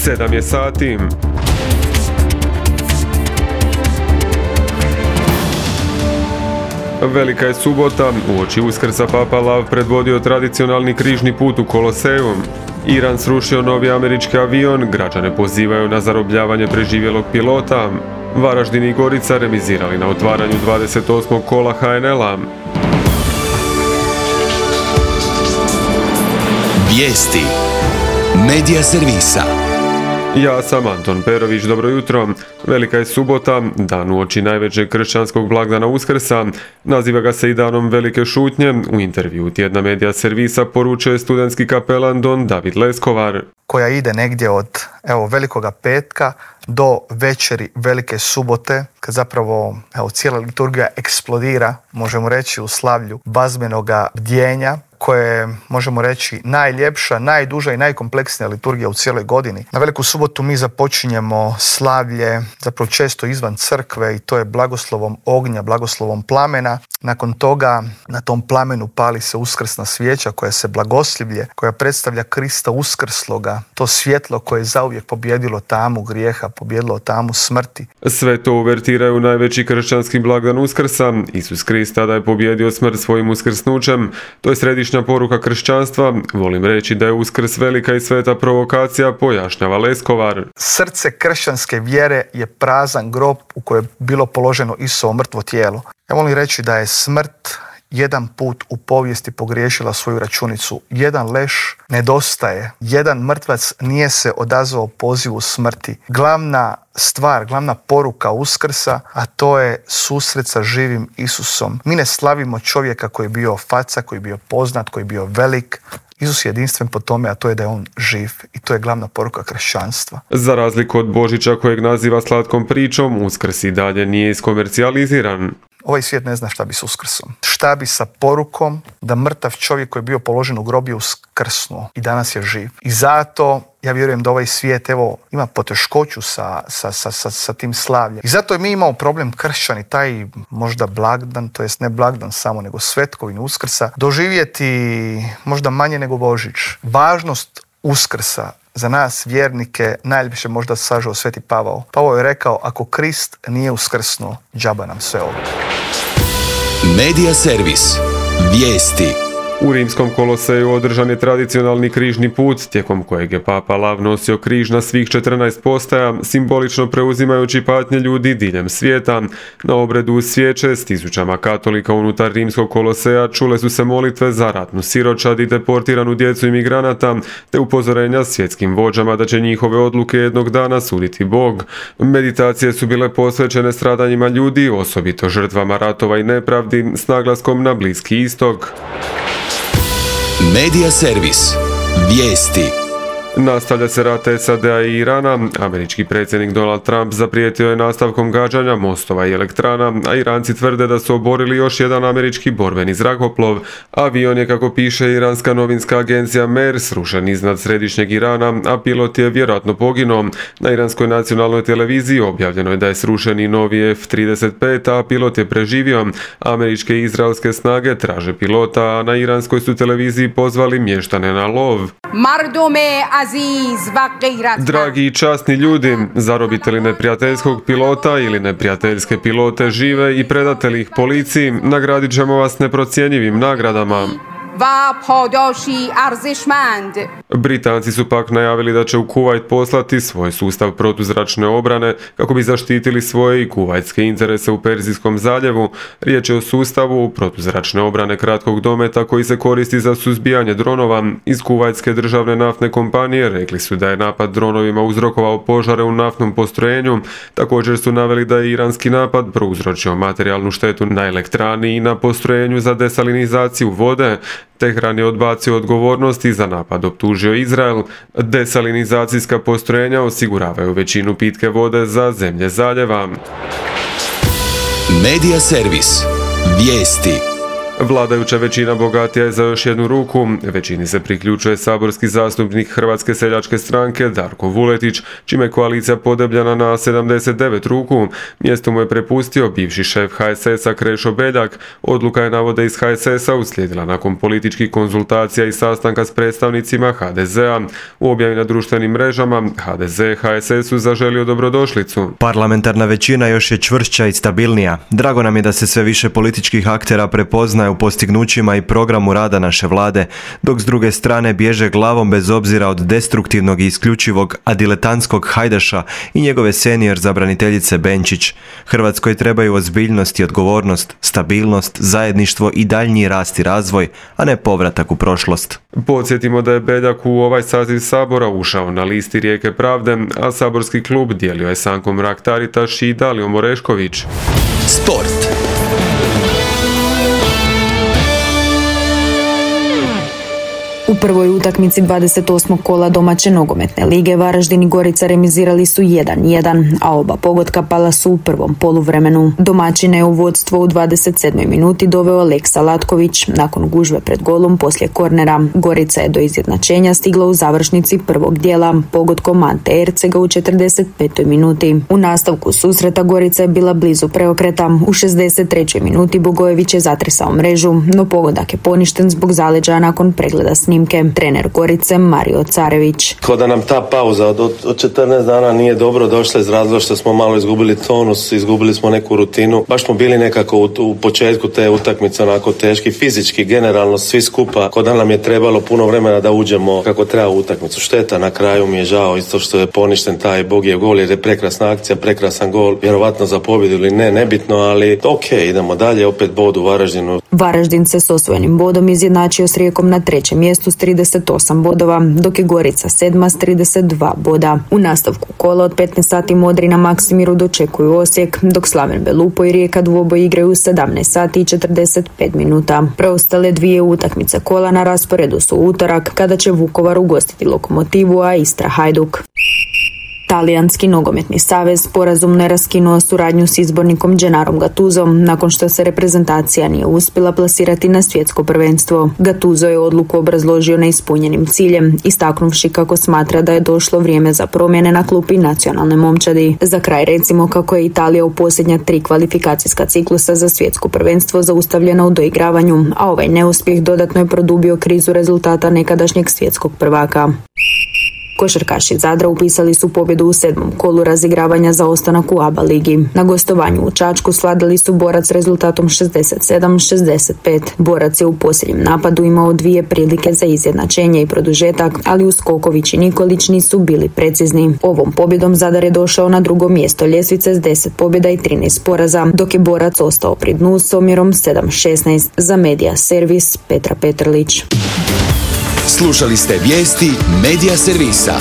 7 je sati. Velika je subota, uoči Uskrsa Papa Lav predvodio tradicionalni križni put u Koloseju. Iran srušio novi američki avion, građane pozivaju na zarobljavanje preživjelog pilota. Varaždin i Gorica remizirali na otvaranju 28. kola HNL-a. Vijesti Medija servisa. Ja sam Anton Perović, dobro jutro. Velika je subota, dan uoči najvećeg kršćanskog blagdana Uskrsa. Naziva ga se i danom velike šutnje. U intervju tjedna Medija servisa poručio je studentski kapelan Don David Leskovar. Koja ide negdje od velikoga petka do večeri velike subote, kad zapravo cijela liturgija eksplodira, možemo reći, u slavlju bazbenoga bdjenja, koje je, možemo reći, najljepša, najduža i najkompleksnija liturgija u cijeloj godini. Na veliku subotu mi započinjemo slavlje, zapravo često izvan crkve, i to je blagoslovom ognja, blagoslovom plamena. Nakon toga na tom plamenu pali se uskrsna svijeća koja se blagoslivlje, koja predstavlja Krista uskrsloga, to svjetlo koje je zauvijek pobjedilo tamu grijeha, pobjedilo tamu smrti. Sve to uvertiraju najveći kršćanski blagdan Uskrsa. Isus Krist tada je pobjedio smrt svojim uskrsnućem. To je središnja poruka kršćanstva. Volim reći da je Uskrs velika i sveta provokacija, pojašnjava Leskovar. Srce kršćanske vjere je prazan grob u kojem je bilo položeno Isusovo mrtvo tijelo. Ja volim reći da je smrt jedan put u povijesti pogriješila svoju računicu. Jedan leš nedostaje. Jedan mrtvac nije se odazvao pozivu smrti. Glavna stvar, glavna poruka Uskrsa, a to je susret sa živim Isusom. Mi ne slavimo čovjeka koji je bio faca, koji je bio poznat, koji je bio velik. Isus je jedinstven po tome, a to je da je on živ, i to je glavna poruka kršćanstva. Za razliku od Božića, kojeg naziva slatkom pričom, Uskrs i dalje nije iskomercijaliziran. Ovaj svijet ne zna šta bi s Uskrsom. Šta bi sa porukom da mrtav čovjek koji je bio položen u grob je uskrsnuo i danas je živ. I zato ja vjerujem da ovaj svijet ima poteškoću sa tim slavljem. I zato mi imamo problem kršćani, taj možda blagdan, to jest ne blagdan samo, nego svetkovinu Uskrsa, doživjeti možda manje nego Božić. Važnost Uskrsa za nas vjernike najljepše možda sažao Sveti Pavao. Pavao je rekao, ako Krist nije uskrsnuo, džaba nam sve ovo. Medija servis. Vijesti. U rimskom Koloseju održan je tradicionalni križni put, tijekom kojeg je Papa Lav nosio križ na svih 14 postaja, simbolično preuzimajući patnje ljudi diljem svijeta. Na obredu uz svijeće s tisućama katolika unutar rimskog Koloseja čule su se molitve za ratnu siročad i deportiranu djecu imigranata, te upozorenja svjetskim vođama da će njihove odluke jednog dana suditi Bog. Meditacije su bile posvećene stradanjima ljudi, osobito žrtvama ratova i nepravdi, s naglaskom na Bliski istok. Medija servis. Vijesti. Nastavlja se rat SAD-a i Irana. Američki predsjednik Donald Trump zaprijetio je nastavkom gađanja mostova i elektrana, a Iranci tvrde da su oborili još jedan američki borbeni zrakoplov. Avion je, kako piše iranska novinska agencija MER, srušen iznad središnjeg Irana, a pilot je vjerojatno poginuo. Na iranskoj nacionalnoj televiziji objavljeno je da je srušen i novi F-35, a pilot je preživio. Američke i izraelske snage traže pilota, a na iranskoj su televiziji pozvali mještane na lov. Dragi i časni ljudi, zarobite li neprijateljskog pilota ili neprijateljske pilote žive i predate li ih policiji, nagradit ćemo vas neprocjenjivim nagradama. Britanci su pak najavili da će u Kuvajt poslati svoj sustav protuzračne obrane kako bi zaštitili svoje i kuvajtske interese u Perzijskom zaljevu. Riječ je o sustavu protuzračne obrane kratkog dometa koji se koristi za suzbijanje dronova. Iz kuvajtske državne naftne kompanije rekli su da je napad dronovima uzrokovao požare u naftnom postrojenju. Također su naveli da je iranski napad prouzročio materijalnu štetu na elektrani i na postrojenju za desalinizaciju vode. Tehran je odbacio odgovornost i za napad optužio Izrael. Desalinizacijska postrojenja osiguravaju većinu pitke vode za zemlje zaljeva. Medija servis. Vijesti. Vladajuća većina bogatija je za još jednu ruku. Većini se priključuje saborski zastupnik Hrvatske seljačke stranke Darko Vuletić, čime je koalicija podebljana na 79 ruku. Mjesto mu je prepustio bivši šef HSS-a Krešo Beljak. Odluka je, navode iz HSS-a, uslijedila nakon političkih konzultacija i sastanka s predstavnicima HDZ-a. U objavi na društvenim mrežama HDZ HSS-u zaželio dobrodošlicu. Parlamentarna većina još je čvršća i stabilnija. Drago nam je da se sve više političkih aktera prepoznaje u postignućima i programu rada naše vlade, dok s druge strane bježe glavom bez obzira od destruktivnog i isključivog adiletantskog Hajdaša i njegove senior zabraniteljice Benčić. Hrvatskoj trebaju ozbiljnost i odgovornost, stabilnost, zajedništvo i daljnji rast i razvoj, a ne povratak u prošlost. Podsjetimo da je Beljak u ovaj saziv Sabora ušao na listi Rijeke pravde, a saborski klub dijelio je Sanko Mrak-Taritaš i Dalijom Orešković. Sport. U prvoj utakmici 28. kola domaće nogometne lige Varaždin i Gorica remizirali su 1-1, a oba pogotka pala su u prvom poluvremenu. Domaćine je u vodstvo u 27. minuti doveo Aleksa Latković. Nakon gužve pred golom poslije kornera, Gorica je do izjednačenja stigla u završnici prvog dijela pogodkom Ante Ercega u 45. minuti. U nastavku susreta Gorica je bila blizu preokreta. U 63. minuti Bogojević je zatresao mrežu, no pogodak je poništen zbog zaleđaja nakon pregleda snimke. Trener Gorice Mario Carević. Kao da nam ta pauza od 14 dana nije dobro došla iz razloga što smo malo izgubili tonus, izgubili smo neku rutinu. Baš smo bili nekako u početku te utakmice onako teški, fizički, generalno svi skupa. Kao da nam je trebalo puno vremena da uđemo kako treba u utakmicu. Šteta, na kraju mi je žao isto što je poništen taj Bogijev gol jer je prekrasna akcija, prekrasan gol. Vjerovatno za pobjedu ili ne, nebitno, ali idemo dalje, opet bod u Varaždinu. Varaždin se s osvojenim bodom izjednačio s Rijekom na trećem mjestu s 38 bodova, dok je Gorica sedma s 32 boda. U nastavku kola od 15 sati Modri na Maksimiru dočekuju Osijek, dok Slaven Belupo i Rijeka dvoboj igraju u 17 sati i 45 minuta. Preostale dvije utakmice kola na rasporedu su utorak, kada će Vukovar ugostiti Lokomotivu, a Istra Hajduk. Talijanski nogometni savez sporazumno je raskinuo suradnju s izbornikom Gennarom Gattusom nakon što se reprezentacija nije uspjela plasirati na svjetsko prvenstvo. Gattuso je odluku obrazložio neispunjenim ciljem, istaknuvši kako smatra da je došlo vrijeme za promjene na klupi nacionalne momčadi. Za kraj recimo kako je Italija u posljednja 3 kvalifikacijska ciklusa za svjetsko prvenstvo zaustavljena u doigravanju, a ovaj neuspjeh dodatno je produbio krizu rezultata nekadašnjeg svjetskog prvaka. Košarkaši Zadra upisali su pobjedu u 7. kolu razigravanja za ostanak u ABA ligi. Na gostovanju u Čačku svladali su Borac rezultatom 67-65. Borac je u posljednjem napadu imao 2 prilike za izjednačenje i produžetak, ali Uskoković i Nikolić nisu bili precizni. Ovom pobjedom Zadar je došao na drugo mjesto ljestvice s 10 pobjeda i 13 poraza, dok je Borac ostao pri dnu s omjerom 7-16. Za Medija servis Petra Petrlić. Slušali ste vijesti Medija servisa.